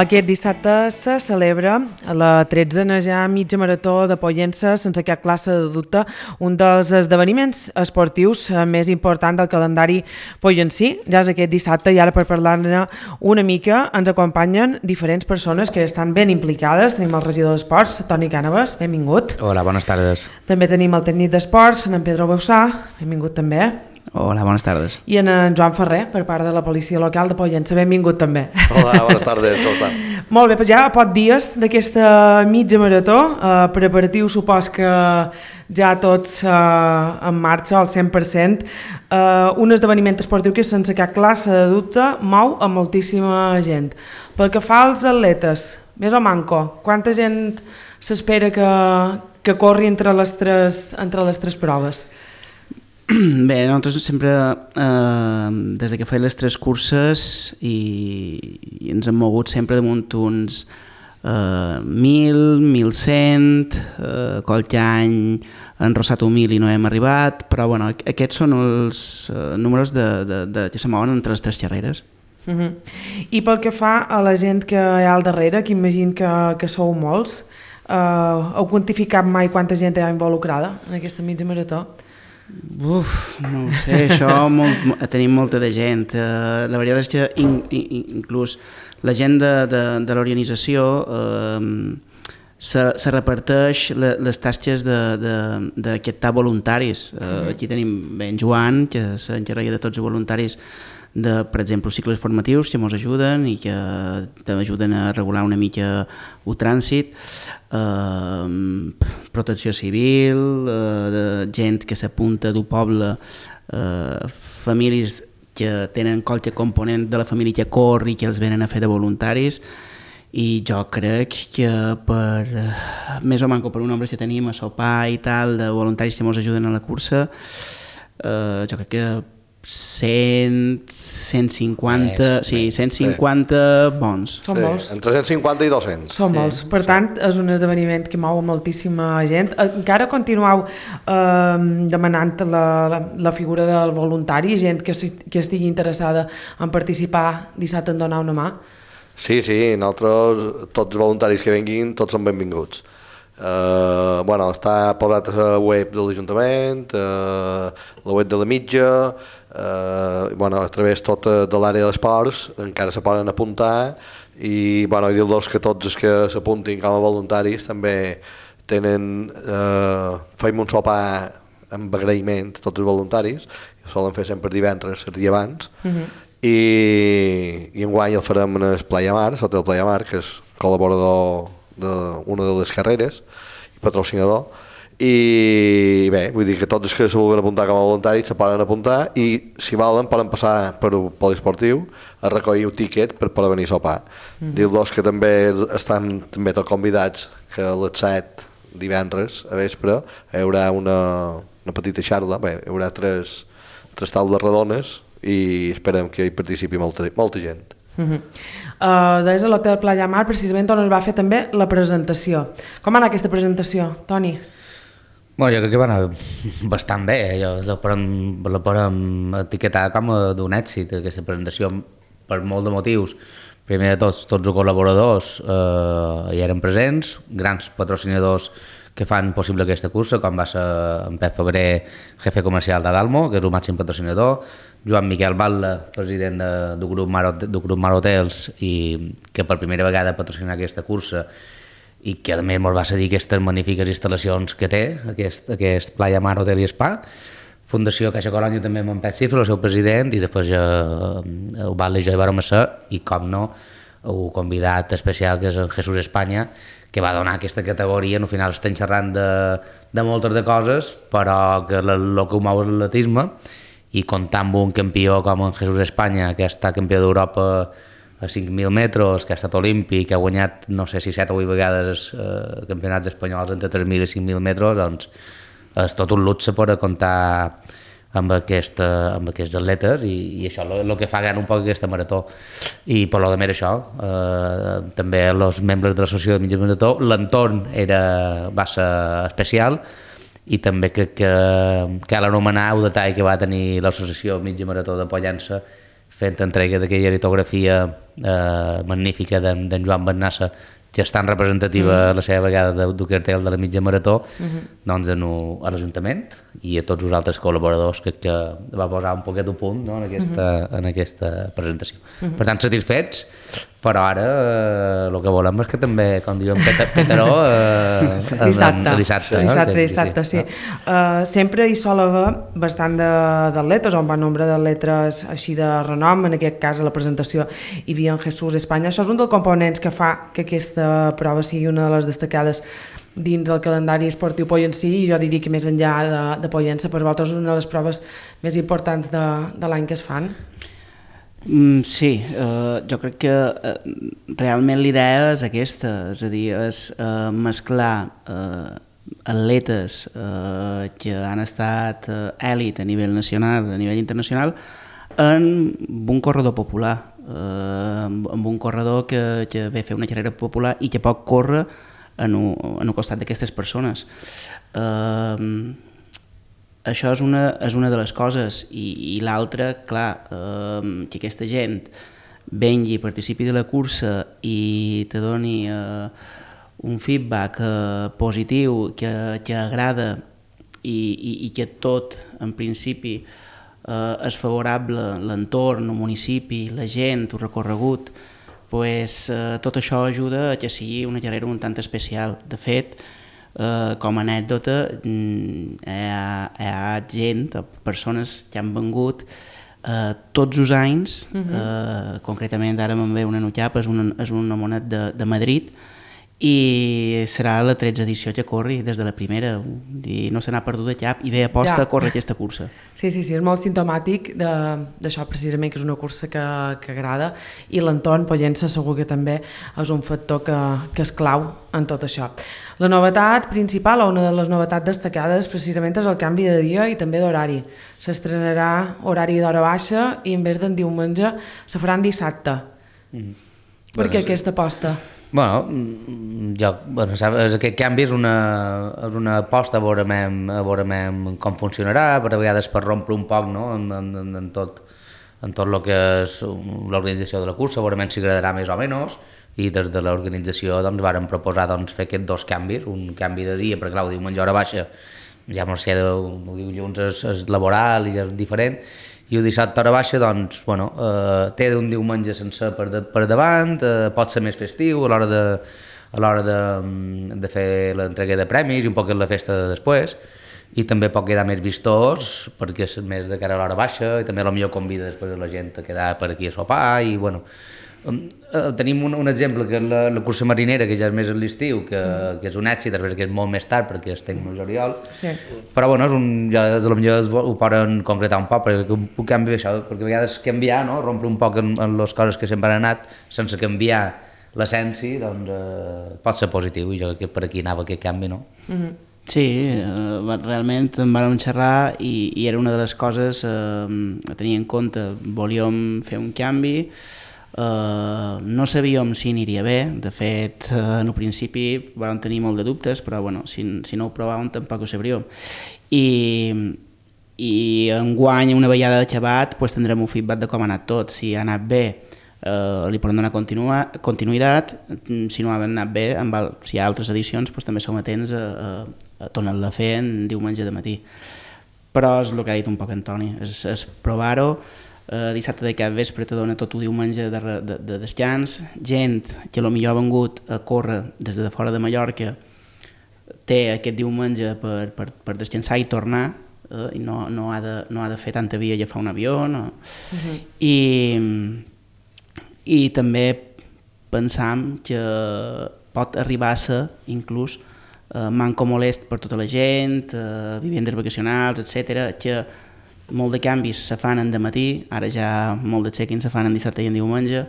Aquest dissabte se celebra la 13a ja mitja marató de Pollença sense cap classe de dubte, un dels esdeveniments esportius més important del calendari pollencí. Ja és aquest dissabte i ara per parlar-ne una mica ens acompanyen diferents persones que estan ben implicades. Tenim el regidor d'Esports, Toni Cànovas, benvingut. Hola, bones tardes. També tenim el tècnic d'Esports, en Pedro Bausà, benvingut també. Hola, bones tardes. I en Joan Ferrer, per part de la policia local de Pollença, benvingut també. Hola, bones tardes, com estan? Molt bé, doncs ja a pocs dies d'aquesta mitja marató, preparatiu supos que ja tots en marxa al 100%, un esdeveniment esportiu que sense cap classe de dubte mou a moltíssima gent. Pel que fa als atletes, més o manco, quanta gent s'espera que corri entre les tres proves? Bé, nosaltres sempre, des que feia les tres curses i ens hem mogut sempre damunt uns 1.000, 1.100, qualque any han rossat 1.000 i no hem arribat, però bueno, aquests són els números que se mouen entre les tres xerreres. I pel que fa a la gent que hi ha al darrere, que imagino que sou molts, heu quantificat mai quanta gent hi ha involucrada en aquesta mitja marató? No ho sé, això tenim molta de gent. La veritat és que inclús la gent de l'organització se reparteix les tasques d'aquestar voluntaris. Aquí tenim en Joan, que s'encarrega de tots els voluntaris de, per exemple, cicles formatius que ens ajuden i que t'ajuden a regular una mica el trànsit, protecció civil, gent que s'apunta del poble, famílies que tenen qualque component de la família que corre i que els venen a fer de voluntaris, i jo crec que més o manco per un nombre que tenim a sopar i tal de voluntaris que ens ajuden a la cursa, jo crec que 100, 150, sí, 150 bons. Són molts. Entre 150 i 200. Són molts. Per tant, és un esdeveniment que mou moltíssima gent. Encara continueu demanant la figura del voluntari, gent que estigui interessada en participar dissabte en donar una mà? Sí, nosaltres, tots els voluntaris que venguin, tots són benvinguts. Està posat a la web de l'Ajuntament, la web de la mitja, a través tot de l'àrea d'esports encara se poden apuntar i dir-los que tots els que s'apuntin com a voluntaris també fem un sopar amb agraïment a tots els voluntaris, ho solen fer sempre divendres, el dia abans, i enguany el farem en el Playa Mar, sota el Playa Mar, que és col·laborador d'una de les carreres i patrocinador, i bé, vull dir que tots els que se vulguin apuntar com a voluntaris se poden apuntar i si volen poden passar per un poliesportiu a recollir un tiquet per poder venir a sopar. Dir-los que també estan també tots convidats que a les 7 divendres a vespre hi haurà una petita xarxa, hi haurà tres taules redones i esperem que hi participi molta gent. Des de l'Hotel Playa Mar precisament on es va fer també la presentació. Com va anar aquesta presentació, Toni? Jo crec que va anar bastant bé, la podem etiquetar com d'un èxit aquesta presentació per molt de motius. Primer de tots els col·laboradors hi eren presents, grans patrocinadors que fan possible aquesta cursa, com va ser en Pep Febrer, jefe comercial d'Adalmo, que és el màxim patrocinador, Joan Miquel Batlle, president del grup Mar Hotels, i que per primera vegada patrocina aquesta cursa i que a més ens va cedir aquestes magnífiques instal·lacions que té, aquest Playa Mar Hotel i Spa. Fundació Caixa Colònia també amb en Pep Cifra, el seu president, i després el Batlle i jo hi vàrem ser, i com no, el convidat especial que és en Jesús Espanya, que va donar aquesta categoria. Al final estem xerrant de moltes de coses, però que el que ho mou és l'atletisme, i comptar amb un campió com en Jesús Espanya, que ha estat campió d'Europa a 5.000 metres, que ha estat olímpic, que ha guanyat no sé si 7 o 8 vegades campionats espanyols entre 3.000 i 5.000 metres, doncs és tot un luxe poder comptar amb aquests atletes, i això és el que fa gran un poc aquesta marató. I per lo de més això, també els membres de l'associació de mitja marató, l'entorn va ser especial, i també crec que cal anomenar el detall que va tenir l'associació Mitja Marató de Pollença, fent entrega d'aquella litografia magnífica d'en Joan Bernassa, que és tan representativa a la seva vegada del cartell de la mitja marató, doncs a l'Ajuntament i a tots els altres col·laboradors que va posar un poquet a punt, no, en aquesta presentació. Per tant, satisfets, però ara el que volem és que també, com diuen Peteró, dissabte, sí. Sempre hi sol haver bastant d'atletes, o un bon nombre d'atletes així de renom, en aquest cas a la presentació hi havia en Jesús Espanya. Això és un dels components que fa que aquesta prova sigui una de les destacades dins el calendari esportiu Pollencí, i jo diria que més enllà de Pollença, per vosaltres és una de les proves més importants de l'any que es fan. Sí, jo crec que realment l'idea és aquesta, és a dir, és mesclar atletes que han estat èlit a nivell nacional, a nivell internacional, en un corredor popular, amb un corredor que ve a fer una carrera popular i que pot córrer en el costat d'aquestes persones. Això és una de les coses, i l'altra, clar, que aquesta gent vengui, participi de la cursa i te doni un feedback positiu que agrada i que tot, en principi, és favorable, l'entorn, el municipi, la gent, el recorregut, tot això ajuda a que sigui una carrera un tant especial. De fet, com a anècdota, hi ha gent, persones que han vengut tots els anys, concretament ara me'n ve una notxapa, és un homonet de Madrid, i serà la 13ª edició que corri des de la primera, i no se n'ha perdut de cap i ve aposta a córrer aquesta cursa. Sí, és molt simptomàtic d'això precisament, que és una cursa que agrada, i l'entorn Pollença segur que també és un factor que és clau en tot això. La novetat principal, o una de les novetats destacades, precisament és el canvi de dia i també d'horari. S'estrenarà horari d'hora baixa i en vez d'en diumenge se faran dissabte. Per què aquesta aposta? Aquest canvi és una aposta a veure com funcionarà, per a vegades per rompre un poc, no? en tot el que és l'organització de la cursa, veure si agradarà més o menys, i des de l'organització vàrem proposar fer aquests dos canvis, un canvi de dia, perquè clar, el diumenge hora baixa, ja no sé, el dilluns és laboral i és diferent, i el dissabte hora baixa, té un diumenge sencer per davant, pot ser més festiu a l'hora de fer l'entrega de premis i un poc la festa de després, i també pot quedar més vistós perquè és més de cara a l'hora baixa, i també potser convida després la gent a quedar per aquí a sopar, i tenim un exemple que és la cursa marinera, que ja és més a l'estiu, que és un èxit, perquè és molt més tard, perquè es tenc el juliol, però ja ho poden concretar un poc, perquè puc canviar això, perquè a vegades canviar, rompre un poc en les coses que sempre han anat, sense canviar l'essència, pot ser positiu, i jo crec que per aquí anava aquest canvi, no? Sí, realment en vam xerrar i era una de les coses a tenir en compte. Volíem fer un canvi, no sabíem si aniria bé, de fet en el principi vam tenir molt de dubtes, però si no ho provàvem tampoc ho sabríem, i enguany una vegada acabat tindrem un feedback de com ha anat tot. Si ha anat bé li podem donar continuïtat, si no ha anat bé, si hi ha altres edicions també som atents a tornar-la a fer en diumenge de matí. Però és el que ha dit un poc Antoni, és provar-ho. Dissabte de cap vespre te dona tot el diumenge de descans, gent que potser ha vengut a córrer des de fora de Mallorca té aquest diumenge per descansar i tornar, i no ha de fer tanta via i agafar un avió, i també pensam que pot arribar a ser inclús manco molest per tota la gent, vivendes vacacionals, etc., que molt de canvis se fan en dematí, ara ja molt de check-ins se fan en dissabte i en diumenge,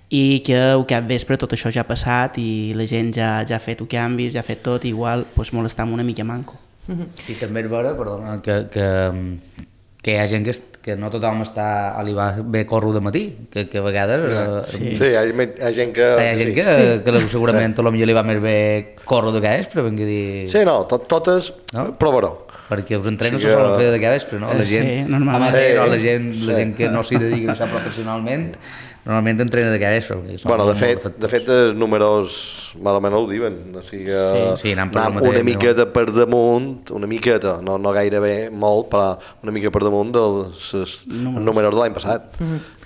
i que al cap vespre tot això ja ha passat i la gent ja ha fet els canvis, ja ha fet tot, i igual molestam una mica manco. I també és vera, perdona, que hi ha gent que que no tothom està a l'Ibar bé corro de matí, que a vegades... Sí, hi ha gent que... Hi ha gent que segurament potser li va més bé corro de vespre, venc a dir... Sí, no, totes provaró. Perquè els entrenos se solen fer de vespre, no? La gent amateur o la gent que no s'hi dedica a això professionalment, normalment entrena de vespre. Bueno, de fet, els números malament ho diuen, o sigui, anant una miqueta per damunt, una miqueta, no gairebé molt, però una mica per damunt dels números de l'any passat.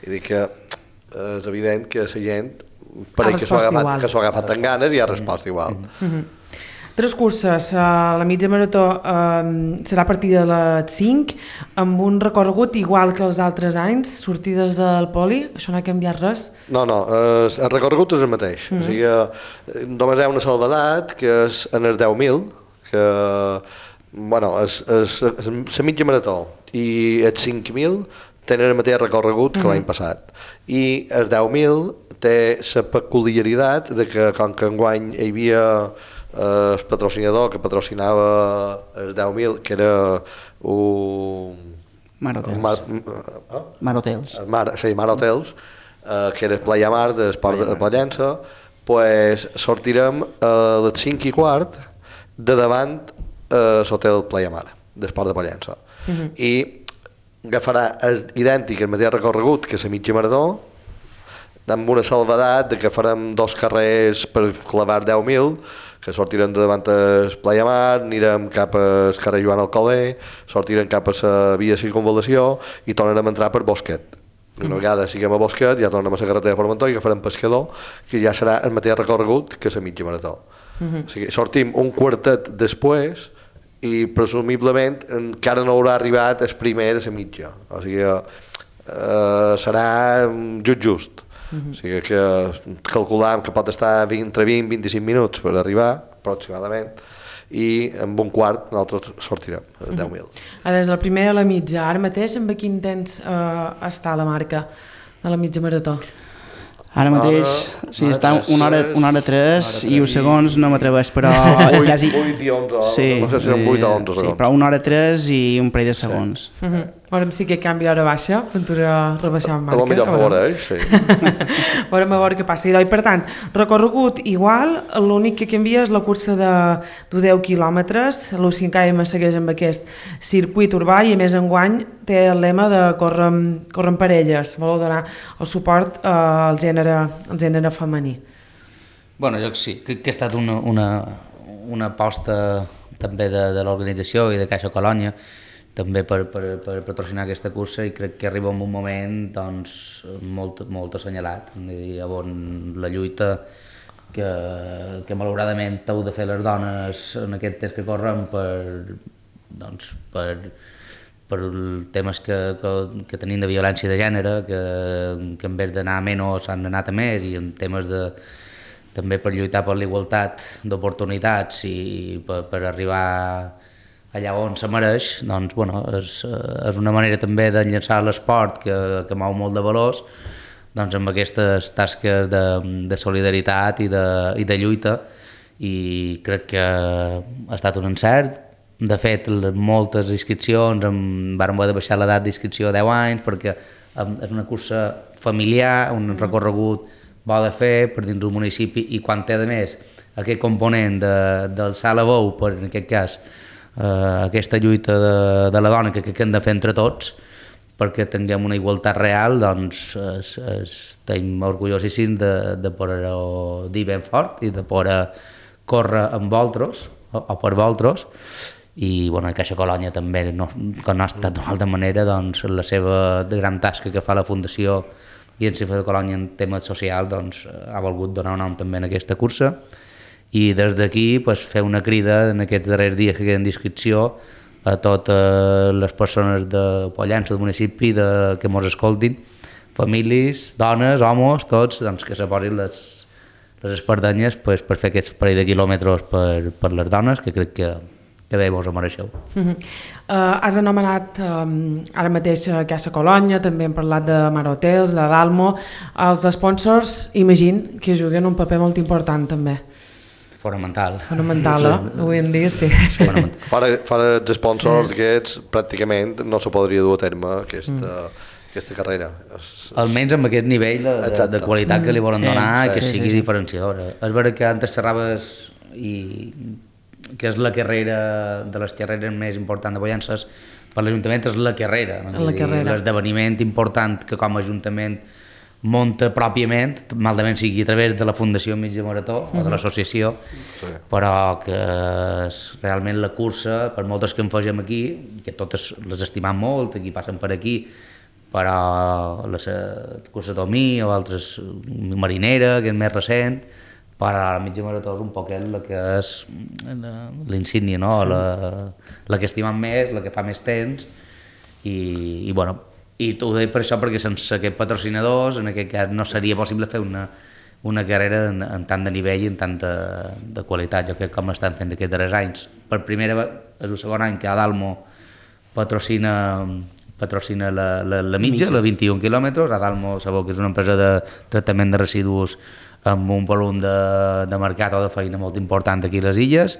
I dic que és evident que la gent pareix que s'ho ha agafat amb ganes i ha respost igual. 3 curses, la mitja marató serà a partir de les 5, amb un recorregut igual que els altres anys, sortides del poli, això no ha canviat res? No, el recorregut és el mateix, o sigui, només hi ha una salvedat, que és en els 10.000, que, bueno, és la mitja marató, i els 5.000 tenen el mateix recorregut que l'any passat, i els 10.000 té la peculiaritat de que, com que enguany hi havia el patrocinador que patrocinava els 10.000, que era Mar Hotels. Mar Hotels, que era Playa Mar d'Esport de Pollença, pues sortirem a les 5:15 de davant l'hotel Playa Mar d'Esport de Pollença. I agafarà idèntic el mateix recorregut que la mitja marató, amb una salvedat de que farem 2 carrers per clavar 10.000, que sortirem de davant el Playa Mar, anirem cap al carrer Joan Alcoler, sortirem cap a la via de circunvalació i tornarem a entrar per Bosquet. Una vegada siguem a Bosquet, ja tornem a la carretera de Formentor i agafarem Pescador, que ja serà el mateix recorregut que la mitja marató. O sigui, sortim un quartet després i presumiblement encara no haurà arribat el primer de la mitja. O sigui, serà just. O sigui que calculam que pot estar entre 20 i 25 minuts per arribar, aproximadament, i amb un quart nosaltres sortirem, 10.000. Des del primer a la mitja, ara mateix amb quin temps està la marca de la mitja marató? Ara mateix està una hora 3 i uns segons no m'atreveix, però... 8 i 11, no sé si eren 8 o 11 segons. Sí, però una hora 3 i un parell de segons. Veurem si aquest canvi hora baixa, aventura rebaixar en marca. A lo millor favoreix, sí. Veurem a veure què passa. I per tant, recorregut igual, l'únic que canvia és la cursa de 10 quilòmetres, l'U5 km segueix amb aquest circuit urbà i a més enguany té el lema de córrer en parelles, voleu donar el suport al gènere femení. Bueno, jo sí, crec que ha estat una aposta també de l'organització i de Caixa Colònia també per patrocinar aquesta cursa i crec que arriba en un moment doncs, molt assenyalat, on la lluita que malauradament heu de fer les dones en aquest temps que corren per temes que tenim de violència de gènere, que en vez d'anar a menys han anat a més i en temes també per lluitar per la igualtat d'oportunitats i per arribar allà on se mereix, doncs, bueno, és una manera també d'enllaçar l'esport que mou molt de valors doncs, amb aquestes tasques de solidaritat i de lluita i crec que ha estat un encert. De fet, moltes inscripcions, vam haver de baixar l'edat d'inscripció a 10 anys perquè és una cursa familiar, un recorregut bo de fer per dins d'un municipi i quan té a més aquest component del salt a bou, per en aquest cas aquesta lluita de la dona que hem de fer entre tots perquè tinguem una igualtat real, doncs estem orgullosíssims de poder-ho dir ben fort i de poder córrer amb vosaltres o per vosaltres i bueno, Caixa Colònia també, que no ha estat d'una altra manera, doncs la seva gran tasca que fa la Fundació i en Cifa de Colònia en temes socials doncs, ha volgut donar un nom també en aquesta cursa i des d'aquí pues, fer una crida en aquests darrers dies que queden d'inscripció a totes les persones de Pollença, del municipi, que ens escoltin, famílies, dones, homes, tots, doncs, que se posin les espardenyes pues, per fer aquests parell de quilòmetres per les dones, que crec que bé vos ho mereixeu. Has anomenat ara mateix Caixa Colònia, també hem parlat de Mar Hotels, de Dalmo. Els sponsors, imagino, que juguen un paper molt important també. fonamental. Fonamental, avui en dia, sí. Fora els sponsors aquests, pràcticament no se podria dur a terme aquesta carrera. Almenys amb aquest nivell de qualitat que li volen donar i que sigui diferenciadora. És veritat que antes xerraves que és la carrera de les carreres més importants de Pollences per l'Ajuntament, és la carrera. L'esdeveniment important que com a Ajuntament munta pròpiament, malament sigui a través de la Fundació Mitja Marató o de l'associació, però que és realment la cursa, per moltes que en fegem aquí, que totes les estimam molt, aquí passen per aquí, però la cursa Tomí o altres, Marinera, que és més recent, però la Mitja Marató és un poquet la que és l'insígnia, no? La que estimam més, la que fa més temps, i bueno, i t'ho dic per això perquè sense aquests patrocinadors en aquest cas no seria possible fer una carrera en tant de nivell i en tant de qualitat. Jo crec que com estan fent aquests darrers anys. Per primera vegada, és el segon any que Adalmo patrocina la mitja, la 21 quilòmetres. Adalmo sabeu que és una empresa de tractament de residus amb un volum de mercat o de feina molt important aquí a les illes.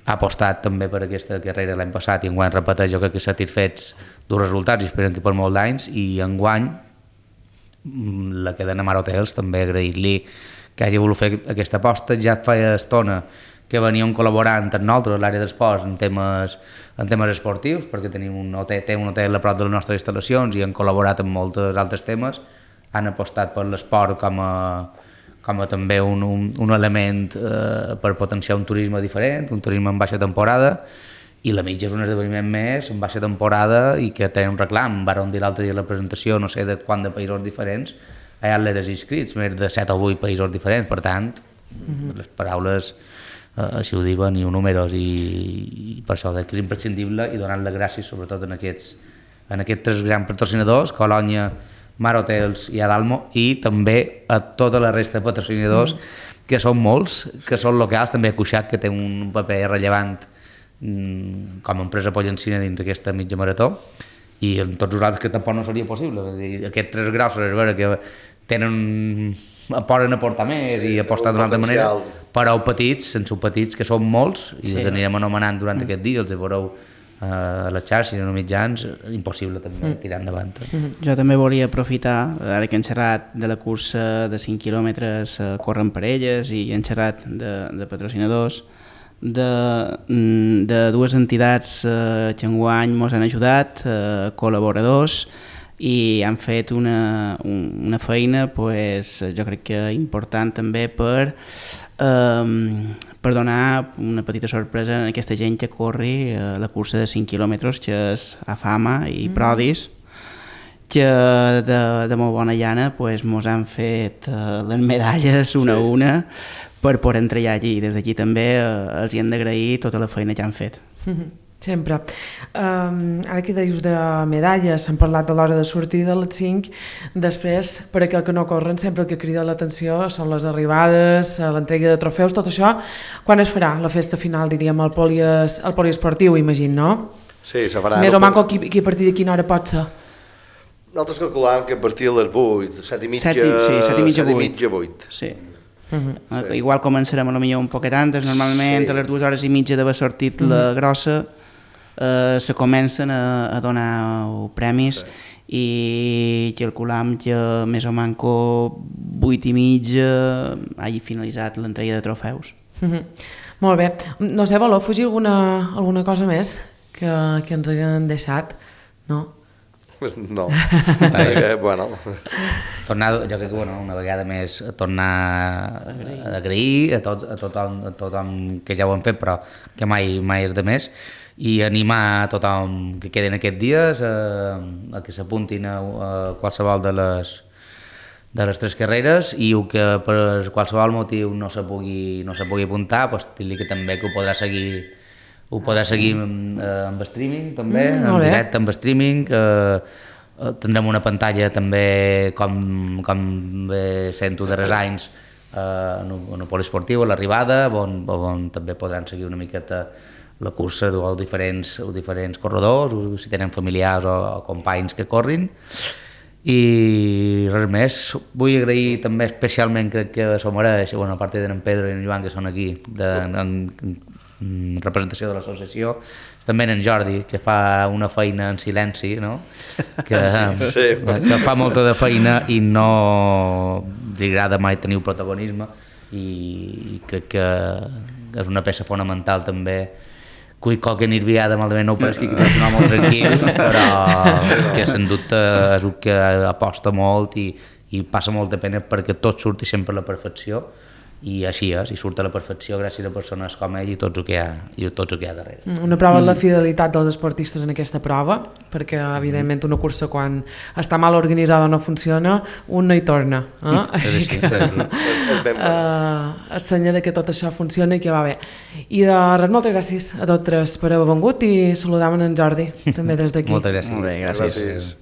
Ha apostat també per aquesta carrera l'any passat i enguany repeteix, jo crec que satisfets dels resultats i esperen que per molt d'anys, i enguany la cadena Mar Hotels també agrair-li que hagi volut fer aquesta aposta. Ja feia estona que veníem col·laborant amb nosaltres a l'àrea d'esports en temes esportius, perquè té un hotel a prop de les nostres instal·lacions i han col·laborat en molts altres temes. Han apostat per l'esport com a també un element per potenciar un turisme diferent, un turisme en baixa temporada, i la mitja és un esdeveniment més en baixa temporada i que té un reclam. Vàrem dir l'altre dia a la presentació, no sé de quant de països diferents, hi ha atletes inscrits, més de 7 o 8 països diferents, per tant, les paraules així ho diuen i ho números, i per això que és imprescindible, i donant les gràcies sobretot en aquests 3 grans patrocinadors, Colònia, Mar Hotels i Adalmo, i també a tota la resta de patrocinadors, que són molts, que són locals, també Cuixac, que té un paper rellevant com a empresa pollencina dins aquesta mitja marató, i en tots nosaltres que tampoc no seria possible. Aquests 3 grossos és vera que poden aportar més i apostar d'una altra manera, però petits, sense petits, que són molts, i els anirem anomenant durant aquest dia, els veureu a les xarxes, a mitjans, impossible també tirar endavant. Jo també volia aprofitar, ara que hem xerrat de la cursa de 5 quilòmetres, corren per elles, i hem xerrat de patrocinadors, de dues entitats que enguany ens han ajudat, col·laboradors, i han fet una feina, jo crec que important també per donar una petita sorpresa a aquesta gent que corri la cursa de 5 quilòmetres, que és Afama i Prodis, que de molt bona llana mos han fet les medalles una a una per poder entrar allí. Des d'aquí també els hi hem d'agrair tota la feina que han fet. Sempre. Ara que deies de medalles, s'han parlat de l'hora de sortir de les 5, després, per aquell que no corren, sempre el que crida l'atenció són les arribades, l'entrega de trofeus, tot això. Quan es farà la festa final, diríem, al poliesportiu, imagino, no? Sí, se farà. Més o manco que a partir de quina hora pot ser? Nosaltres calculàvem que a partir de les 8, 7 i mitja, 8. Sí. Igual començarem potser un poquet antes, normalment a les 2 hores i mitja d'haver sortit la grossa se comencen a donar premis, i calculam que més o manco 8 i mitja hagi finalitzat l'entrega de trofeus. Molt bé. No sé, voleu afegir alguna cosa més que ens haguem deixat? No? No. Bueno. Jo crec que una vegada més tornar a agrair a tothom que ja ho han fet, però que mai és de més, i animar a tothom que queden aquests dies a que s'apuntin a qualsevol de les 3 carreres, i que per qualsevol motiu no se pugui apuntar, dir-li que també que ho podrà seguir amb streaming també, en directe amb streaming. Tindrem una pantalla també, com bé sento darrers anys, en el poliesportiu, a l'arribada, on també podran seguir una miqueta la cursa dels diferents corredors, si tenen familiars o companys que corrin. I res més, vull agrair també especialment, crec que s'ho mereix, bueno, a part d'en Pedro i en Joan que són aquí en representació de l'associació, també en Jordi, que fa una feina en silenci, no? Que fa molta de feina i no li agrada mai tenir un protagonisme, i crec que és una peça fonamental també. Cull qualque nirviada malament no ho pareix que és un home molt tranquil, però que sens dubte és el que aposta molt i passa molta pena perquè tot surti sempre a la perfecció, i així és, i surt a la perfecció gràcies a persones com ell i tot el que hi ha darrere. Una prova de la fidelitat dels esportistes en aquesta prova, perquè evidentment una cursa quan està mal organitzada o no funciona, un no hi torna. Així que és senyal que tot això funciona i que va bé. I de res, moltes gràcies a tots tres per haver vengut i saludam en Jordi també des d'aquí. Moltes gràcies. Molt bé, gràcies.